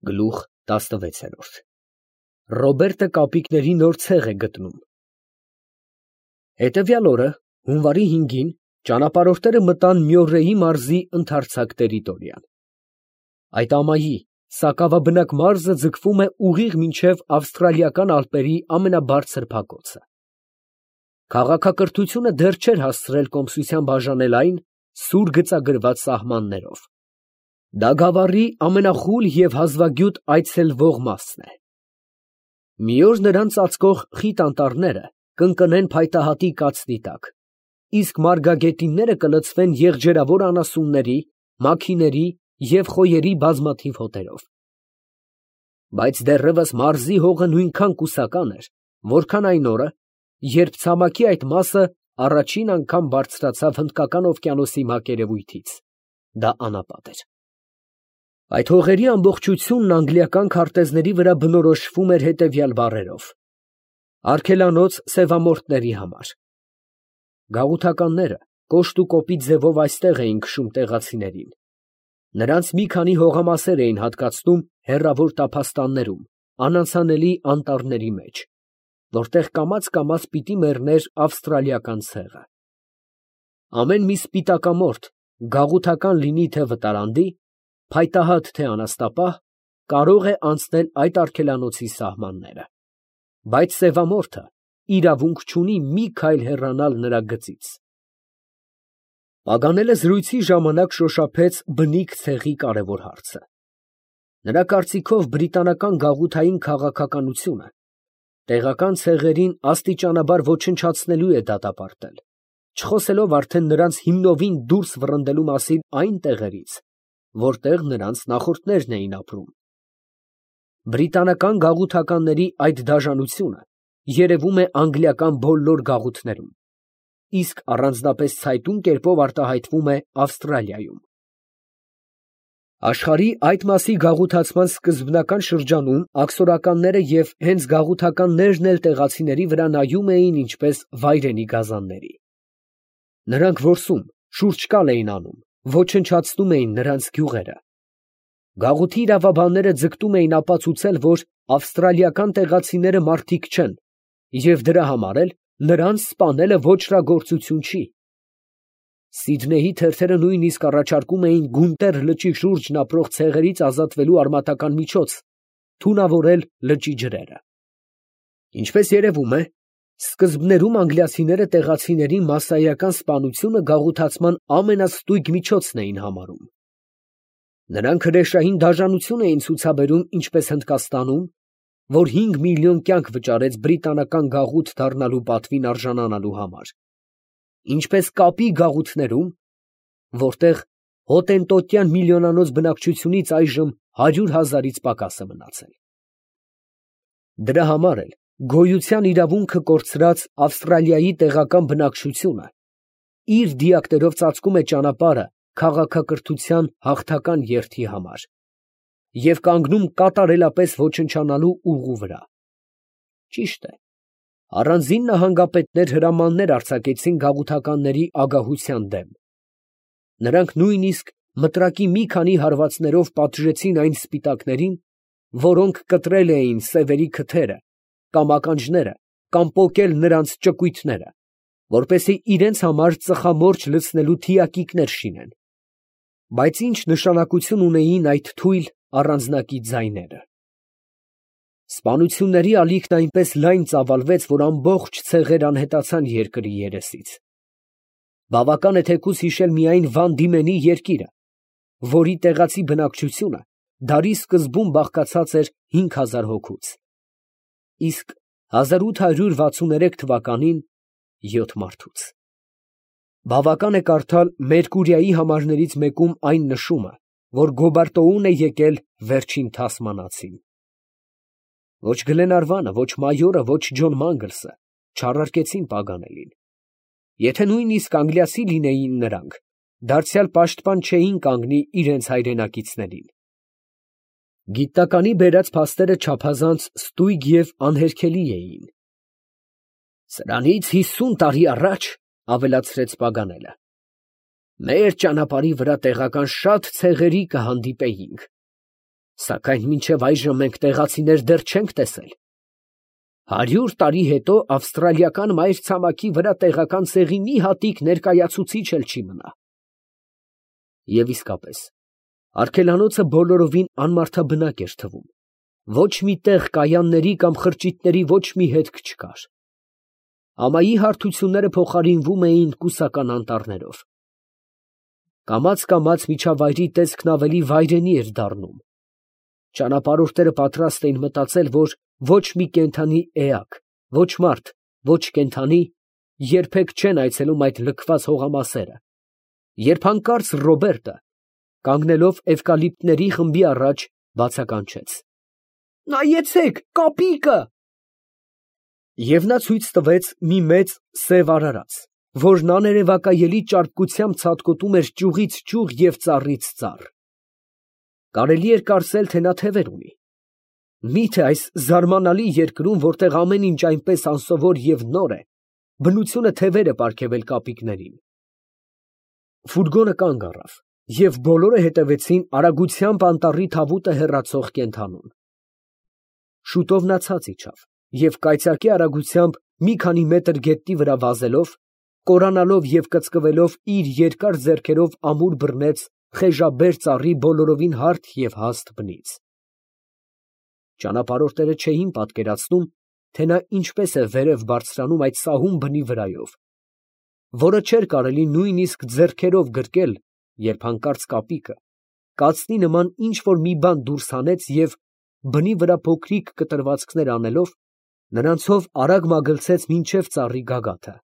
Գլուխ 16 Ռոբերտը կապիկների նոր ցեղ է գտնում։ Հետևյալ օրը, հունվարի 5-ին, ճանապարհորդները մտան Մյորրեի մարզի ընդարձակ տերիտորիան։ Այդ ամայի սակավաբնակ մարզը ձգվում է ուղիղ մինչև ավստրալիական ալպերի ամենաբարձր փակոցը։ Քաղաքակրթությունը դեռ չէր հասցրել կոմսության բաժանել այն սուր գծագրված սահմաններով։ Դա գավառի ամենախուլ և հազվագյուտ այցելվող մասն է։ Մի օր նրան ծածկող խիտ անտառները կընկնեն փայտահատի կացնի տակ, իսկ մարգագետինները կլցվեն եղջերավոր անասունների, մաքիների և խոյերի բազմաթիվ հոտերով։ Բայց դեռևս մարզի հողը նույնքան կուսական էր, որքան այն օրը, երբ ցամաքի այդ մասը առաջին անգամ բարձրացավ Հնդկական օվկիանոսի մակերևույթից, դա անապատ էր։ Այդ հողերի ամբողջությունն անգլիական քարտեզների վրա բնորոշվում էր հետևյալ բառերով. արգելանոց սևամորթների համար։ Գաղութականները կոշտ ու կոպիտ ձևով այստեղ էին քշում տեղացիներին։ Նրանց մի քանի հողամասեր էին հատկացնում հեռավոր տափաստաններում, անանցանելի անտառների մեջ, որտեղ կամաց պիտի մեռներ ավստրալիական ցեղը։ Ամեն մի սպիտակամորթ, գաղութական լինի թե վտարանդի, փայտահատ թե անաստապահ, կարող է անցնել այդ արգելանոցի սահմանները, բայց սևամորթը իրավունք չունի մի քայլ հեռանալ նրա գծից։ Պագանելը զրույցի ժամանակ շոշափեց բնիկ ցեղի կարևոր հարցը։ Նրա կարծիքով բրիտանական գաղութային քաղաքականությունը տեղական ցեղերին աստիճանաբար ոչնչացնելու է դատապարտել, չխոսելով արդեն նրանց հիմնովին դուրս վռնդելու մասին այն տեղերից, որտեղ նրանց նախորդներն էին ապրում։ Բրիտանական գաղութականների այդ դաժանությունը երևում է անգլիական բոլոր գաղութներում, իսկ առանձնապես ցայտուն կերպով արտահայտվում է Ավստրալիայում։ Աշխարհի այդ մասի գաղութացման սկզբնական շրջանում աքսորականները և հենց գաղութականներն էլ տեղացիների վրա նայում էին ինչպես վայրենի գազանների։ Նրանք որսում, շուրջկալ էին անում, ոչնչացնում էին նրանց գյուղերը։ Գաղութի իրավաբանները ձգտում էին ապացուցել, որ ավստրալիական տեղացիները մարդիկ չեն, և դրա համար էլ նրանց սպանելը ոճրագործություն չի։ Սիդնեյի թերթերը նույնիսկ առաջարկում էին Գունտեր լճի շուրջն ապրող ցեղերից ազատվելու արմատական միջոց՝ թունավորել լճի ջրերը։ Ինչպես երևում է, սկզբներում անգլիացիները տեղացիների մասսայական սպանությունը գաղութացման ամենաստույգ միջոցն էին համարում։ Նրանք հրեշային դաժանություն էին ցուցաբերում ինչպես Հնդկաստանում, որ 5 միլիոն կյանք վճարեց բրիտանական գաղութ դառնալու պատվին արժանանալու համար, ինչպես կապի գաղութներում, որտեղ հոտենտոտյան միլիոնանոց բնակչությունից այժմ 100,000-ից պակաս է մնացել։ Դրա համար էլ գոյության իրավունքը կորցրած Ավստրալիայի տեղական բնակչությունը իր դիակներով ծածկում է ճանապարհը քաղաքակրթության հաղթական երթի համար և կանգնում կատարելապես ոչնչանալու ուղու վրա։ Ճիշտ է, առանձին նահանգապետներ հրամաններ արձակեցին գաղութականների ագահության դեմ։ Նրանք նույնիսկ մտրակի մի քանի հարվածներով պատժեցին այն սպիտակներին, որոնք կտրել էին սևերի քթերը կամ ականջները կամ պոկել նրանց ճկույթները, որպեսզի իրենց համար ծխամորճ լցնելու թիակիկներ շինեն։ Բայց ինչ նշանակություն ունեին այդ թույլ առանձնակի ձայները։ Սպանությունների ալիքն այնպես լայն ծավալվեց, որ ամբողջ ցեղեր անհետացան երկրի երեսից։ Բավական է թեկուզ հիշել միայն Վան Դիմենի երկիրը, որի տեղացի բնակչությունը դարի սկզբում բաղկացած էր 5000 հոգուց, իսկ 1863 թվականին 7 մարդուց։ Բավական է կարդալ Մերկուրիայի համարներից մեկում այն նշումը, որ Գոբարտոուն է եկել վերջին թասմանացին։ Ոչ Գլենարվանը, ոչ մայորը, ոչ Ջոն Մանգլսը չառարկեցին Պագանելին։ Եթե նույնիսկ անգլիացի լինեին նրանք, դարձյալ պաշտպան չէին կանգնի իրենց հայրենակիցներին։ Գիտականի բերած փաստերը չափազանց ստույգ և անհերքելի էին։ Սրանից 50 տարի առաջ, ավելացրեց Պագանելը, մեր ճանապարհի վրա տեղական շատ ցեղերի կհանդիպեինք, Սակայն մինչև այժմ մենք տեղացիներ դեռ չենք տեսել։ 100 տարի հետո ավստրալիական մայրցամաքի վրա տեղական ցեղի մի հատիկ ներկայացուցիչ էլ չի մնա։ Եվ իսկապես, արգելանոցը բոլորովին անմարդաբնակ էր թվում։ Ոչ մի տեղ կայանների կամ խրճիթների ոչ մի հետք չկար։ Ամայի հարթությունները փոխարինվում էին կուսական անտառներով։ Կամաց միջավայրի տեսքն ավելի վայրենի էր դառնում։ Ճանապարհորդները պատրաստ էին մտածել, որ ոչ մի կենդանի էակ, ոչ մարդ, ոչ կենդանի երբեք չեն այցելում այդ լքված հողամասերը, երբ հանկարծ Ռոբերտը, կանգնելով էվկալիպտների խմբի առաջ, բացականչեց. «Նայեցեք, կապիկը»։ Եվ նա ցույց տվեց մի մեծ սև արարած, որն աներևակայելի ճարպկությամբ ցատկոտում էր ճյուղից ճյուղ և ծառից ծառ։ Կարելի էր կարծել, թե նա թևեր ունի։ Մի՞թե այս զարմանալի երկրում, որտեղ ամեն ինչ այնպես անսովոր և նոր է, բնությունը թևեր է պարգևել կապիկներին։ Ֆուրգոնը կանգ առավ, և բոլորը հետևեցին արագությամբ անտառի թավուտը հեռացող կենդանուն։ Շուտով նա ցած իջավ և կայծակի արագությամբ մի քանի մետր գետնի վրա վազելով, կորանալով և կծկվելով իր երկար ձեռքերով ամուր բռնեց խեժաբեր ծառի բոլորովին հարթ և հաստ բնից։ Ճանապարհորդները չէին պատկերացնում, թե նա ինչպես է վերև բարձրանում այդ սահուն բնի վրայով, որը չէր կարելի նույնիսկ ձեռքերով գրկել, երբ հանկարծ կապիկը կացնի նման ինչ֊որ մի բան դուրս հանեց և, բնի վրա փոքրիկ կտրվածքներ անելով, նրանցով արագ մագլցեց մինչև ծառի գագաթը։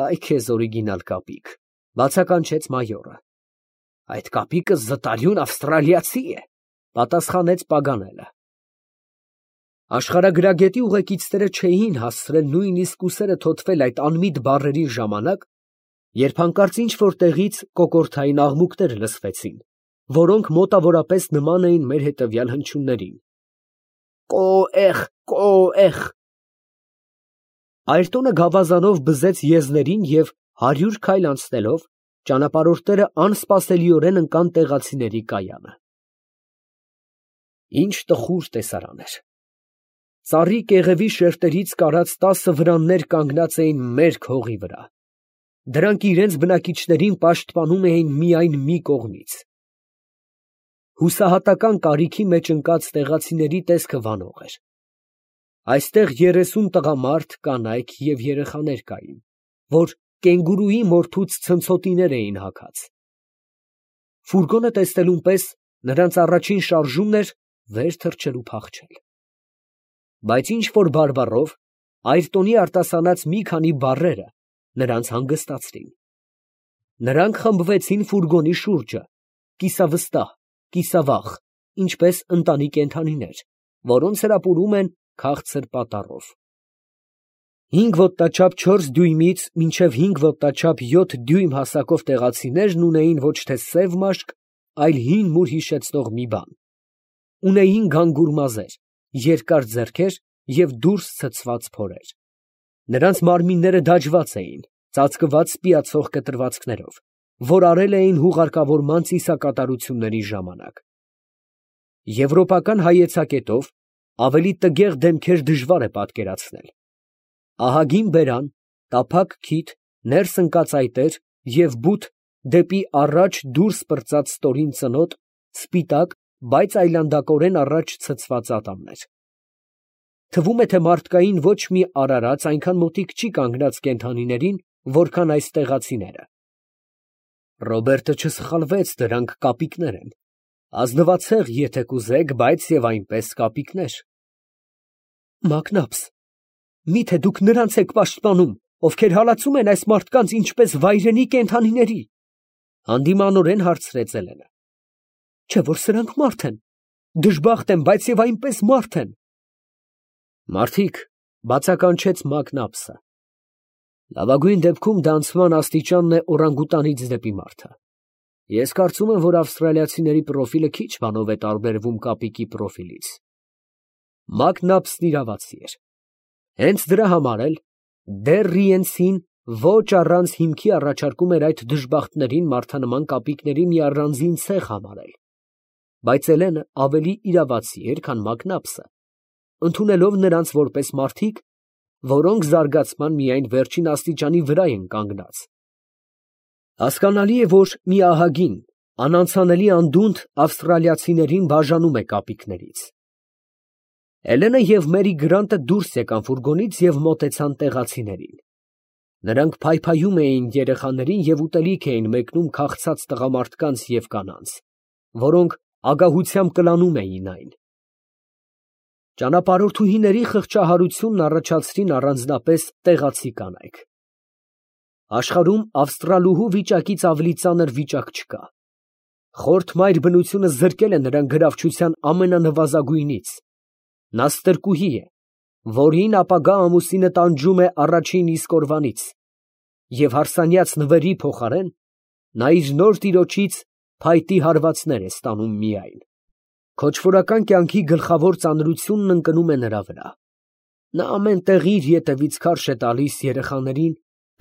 «Այ քեզ օրիգինալ կապիկ», ֊ բացականչեց մայորը։ «Այդ կապիկը զտարյուն ավստրալիացի է», ֊ պատասխանեց Պագանելը։ Աշխարհագրագետի ուղեկիցները չէին հասցրել նույնիսկ ուսերը թոթվել այդ անմիտ բառերի ժամանակ, երբ հանկարծ ինչ֊որ տեղից կոկորդային աղմուկներ լսվեցին, որոնք մոտավորապես նման էին մեր հետևյալ հնչյուններին. «Կո՛էխ, կո՛էխ»։ Այրտոնը գավազանով բզեց եզներին և 100 քայլ անցնելով, ճանապարհորդները անսպասելիորեն ընկան տեղացիների կայանը։ Ինչ տխուր տեսարան էր։ Ծառի կեղևի շերտերից կարած 10 վրաններ կանգնած էին մերկ հողի վրա։ Դրանք իրենց բնակիչներին պաշտպանում էին միայն մի կողմից։ Հուսահատական կարիքի մեջ ընկած տեղացիների տեսքը վանող էր։ Այստեղ 30 տղամարդ, կանայք և երեխաներ կային, որ կենգուրուի մորթուց ցնցոտիներ էին հագած։ Ֆուրգոնը տեսնելուն պես նրանց առաջին շարժումն էր վեր թռչել ու փախչել։ Բայց ինչ֊որ բարբառով այրտոնի արտասանած մի քանի բառերը նրանց հանգստացրին։ Նրանք խմբվեցին ֆուրգոնի շուրջը, կիսավստահ, կիսավախ, ինչպես ընտանի կենդանիներ, որոնց հրապուրում են քաղցր պատառով։ 5 ոտնաչափ 4 դյույմից մինչև 5 ոտնաչափ 7 դյույմ հասակով տեղացիներն ունեին ոչ թե սև մաշկ, այլ հին մուր հիշեցնող մի բան։ Ունեին գանգուր մազեր, երկար ձեռքեր և դուրս ցցված փորեր։ Նրանց մարմինները դաջված էին, ծածկված սպիացող կտրվածքներով, որ արել էին հուղարկավորման ծիսակատարությունների ժամանակ։ Եվրոպական հայեցակետով ավելի տգեղ դեմքեր դժվար է պատկերացնել։ Ահագին բերան, տափակ քիթ, ներս ընկած այտեր և բութ դեպի առաջ դուրս պրծած ստորին ծնոտ, սպիտակ, բայց այլանդակորեն առաջ ցցված ատամներ։ Թվում է, թե մարդկային ոչ մի արարած այնքան մոտիկ չի կանգնած կենդանիներին, որքան այս տեղացիները։ Ռոբերտը չսխալվեց, դրանք կապիկներ են, ազնվացեղ, եթե կուզեք, բայց և այնպես կապիկներ։ Մակնաբս, մի՞թե դուք նրանց եք պաշտպանում, ովքեր հալածում են այս մարդկանց ինչպես վայրենի կենդանիների, հանդիմանորեն հարցրեց Էլենը։ Չէ՞ որ սրանք մարդ են, դժբախտ եմ, բայց և այնպես մարդ են։ Մարդիկ, բացականչեց Մակնաբսը։ Լավագույն դեպքում դա անցման աստիճանն է օրանգուտանից դեպի մարդը։ Ես կարծում եմ, որ ավստրալիացիների պրոֆիլը քիչ բանով է տարբերվում կապիկի պրոֆիլից։ Մակնաբսն իրավացի էր։ Հենց դրա համար էլ դեռ Ռիենցին ոչ առանց հիմքի առաջարկում էր այդ դժբախտներին մարդանման կապիկների մի առանձին ցեղ համարել։ բայց Էլենը ավելի իրավացի էր, քան Մակնապսը, ընդունելով նրանց որպես մարդիկ, որոնք զարգացման միայն վերջին աստիճանի վրա են կանգնած։ Հասկանալի է, որ մի ահագին, անանցանելի անդունդ ավստրալիացիներին բաժանում է կապիկներից։ Էլենը և Մերի Գրանտը դուրս եկան ֆուրգոնից և մոտեցան տեղացիներին։ Նրանք փայփայում էին երեխաներին և ուտելիք էին մեկնում քաղցած տղամարդկանց և կանանց, որոնք ագահությամբ կլանում էին այն։ Ճանապարհորդուհիների խղճահարությունն առաջացրին առանձնապես տեղացի կանայք։ Աշխարհում ավստրալուհու վիճակից ավելի ծանր վիճակ չկա։ Խորթ մայր բնությունը զրկել է նրան գրավչության ամենանվազագույնից։ Նա ստրկուհի է, որին ապագա ամուսինը տանջում է առաջին իսկ օրվանից, և հարսանյաց նվերի փոխարեն նա իր նոր տիրոջից փայտի հարվածներ է ստանում միայն։ Քոչվորական կյանքի գլխավոր ծանրությունն ընկնում է նրա վրա։ Նա ամեն տեղ իր ետևից քարշ է տալիս երեխաներին,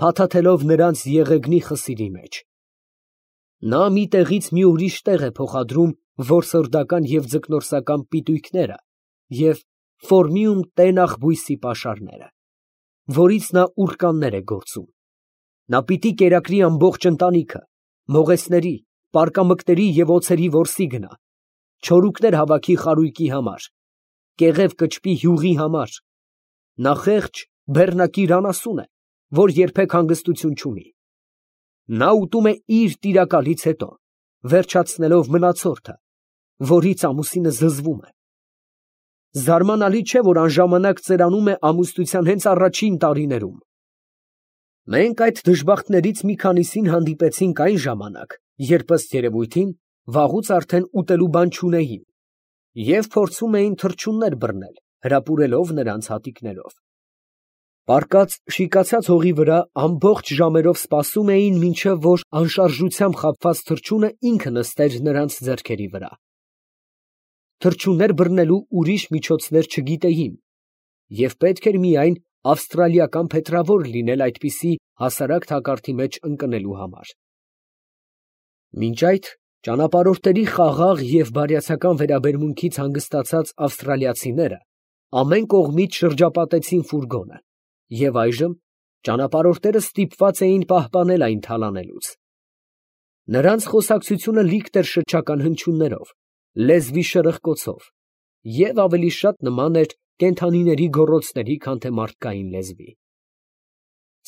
փաթաթելով նրանց եղեգնի խսիրի մեջ։ Նա մի տեղից մի ուրիշ տեղ է փոխադրում որսորդական և ձկնորսական պիտույքները և ֆորմիում տենախ բույսի պաշարները, որից նա ուռկաններ է գործում։ Նա պիտի կերակրի ամբողջ ընտանիքը, մողեսների, պարկամկների և օձերի որսի գնա, չորուկներ հավաքի խարույկի համար, կեղև կճպի յուղի համար։ Նա խեղճ, բեռնակիր անասուն է, որ երբեք հանգստություն չունի։ Նա ուտում է իր տիրակալից հետո, վերջացնելով մնացորդը, որից ամուսինը զզվում է։ Զարմանալի չէ, որ անժամանակ ծերանում է ամուսնության հենց առաջին տարիներում։ Մենք այդ դժբախտներից մի քանիսին հանդիպեցինք այն ժամանակ, երբ ըստ երևույթին վաղուց արդեն ուտելու բան չունեին և փորձում էին թռչուններ բռնել, հրապուրելով նրանց հատիկներով։ Պառկած շիկացած հողի վրա ամբողջ ժամերով սպասում էին, մինչև որ անշարժությամբ խաբված թռչունը ինքը նստեր նրանց ձեռքերի վրա։ Թռչուններ բռնելու ուրիշ միջոցներ չգիտեին, և պետք էր միայն ավստրալիական փետրավոր լինել այդպիսի հասարակ թակարդի մեջ ընկնելու համար։ Մինչ այդ ճանապարհորդների խաղաղ և բարյացակամ վերաբերմունքից հանգստացած ավստրալիացիները ամեն կողմից շրջապատեցին ֆուրգոնը, և այժմ ճանապարհորդները ստիպված էին պահպանել այն թալանելուց։ Նրանց խոսակցությունը լիքտ էր շչական հնչյուններով, լեզվի շրխկոցով և ավելի շատ նման էր կենդանիների գոռոցների, քան թե մարդկային լեզվի։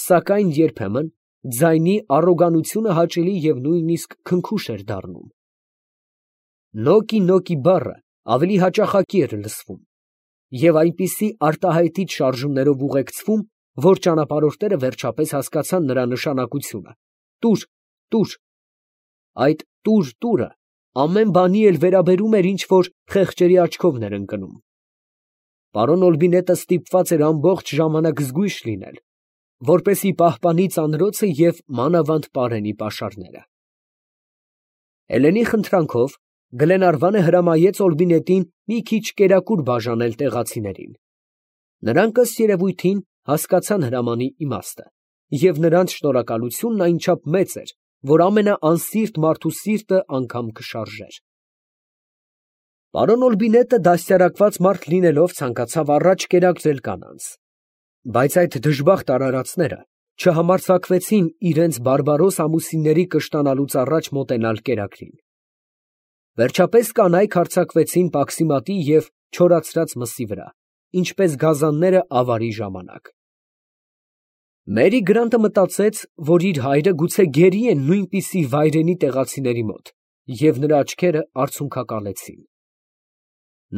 Սակայն երբեմն ձայնի առոգանությունը հաճելի և նույնիսկ քնքուշ էր դառնում։ Նոկի բառը ավելի հաճախակի էր լսվում և այնպիսի արտահայտիչ շարժումներով ուղեկցվում, որ ճանապարհորդները վերջապես հասկացան նրա նշանակությունը. տուր։ Այդ տուրը ամեն բանի էլ վերաբերում էր, ինչ որ խեղճերի աչքովն էր ընկնում։ Պարոն Օլբինետը ստիպված էր ամբողջ ժամանակ զգույշ լինել, որպեսզի պահպանի ծանրոցը և մանավանդ պարենի պաշարները։ Էլենի խնդրանքով Գլենարվանը հրամայեց Օլբինետին մի քիչ կերակուր բաժանել տեղացիներին։ Նրանք ըստ երևույթին հասկացան հրամանի իմաստը, և նրանց շնորհակալությունն այնչափ մեծ էր, որ ամենաանսիրտ մարդու սիրտը անգամ կշարժեր։ Պարոն Օլբինետը դաստիարակված մարդ լինելով ցանկացավ առաջ կերակրել կանանց, բայց այդ դժբախտ արարածները չհամարձակվեցին իրենց բարբարոս ամուսինների կշտանալուց առաջ մոտենալ կերակրին։ Վերջապես կանայք հարձակվեցին պաքսիմատի և չորացրած մսի վրա, ինչպես գազանները ավարի ժամանակ։ Մերի Գրանտը մտածեց, որ իր հայրը գուցե գերի է նույնպիսի վայրենի տեղացիների մոտ, և նրա աչքերը արցունքակալեցին։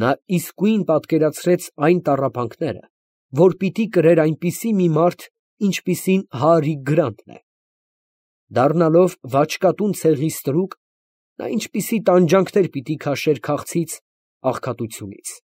Նա իսկույն պատկերացրեց այն տառապանքները, որ պիտի կրեր այնպիսի մի մարդ, ինչպիսին Հարի Գրանտն է։ Դառնալով վաճկատուն ցեղի ստրուկ, նա ինչպիսի տանջանքներ պիտի քաշեր քաղցից, աղքատությունից։